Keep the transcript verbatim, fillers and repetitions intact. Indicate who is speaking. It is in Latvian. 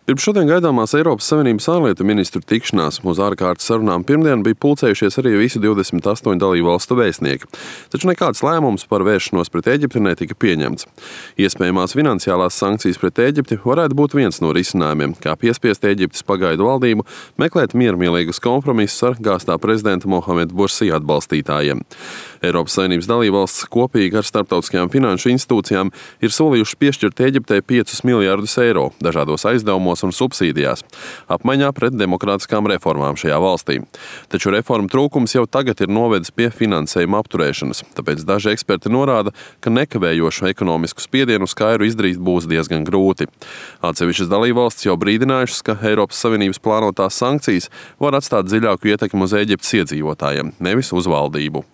Speaker 1: Pirms šodien gaidāmās Eiropas Savienības ārlietu ministru tikšanās uz ārkārtas sarunām pirmdien bija pulcējušies arī visi divdesmit astoņu dalībvalstu vēstnieki, taču nekāds lēmums par vēršanos pret Ēģipti netika pieņemts. Iespējamās finansiālās sankcijas pret Ēģipti varētu būt viens no risinājumiem, kā piespiest Ēģiptes pagaidu valdību meklēt miermīlīgus kompromisus ar gāztā prezidenta Mohameda Bursī atbalstītājiem. Eiropas Savienības dalībvalstis kopīgi ar starptautiskajām finanšu institūcijām ir solījušas piešķirt Ēģiptei piecus miljardus eiro dažādos aizdevumos un subsīdijās, apmaiņā pret demokrātiskām reformām šajā valstī. Taču reformu trūkums jau tagad ir novedis pie finansējuma apturēšanas, tāpēc daži eksperti norāda, ka nekavējošu ekonomisku spiedienu uz Kairu izdarīt būs diezgan grūti. Atsevišķas dalībvalstis jau brīdinājušas, ka Eiropas Savienības plānotās sankcijas var atstāt dziļāku ietekmi uz Ēģiptes iedzīvotājiem, nevis uz valdību.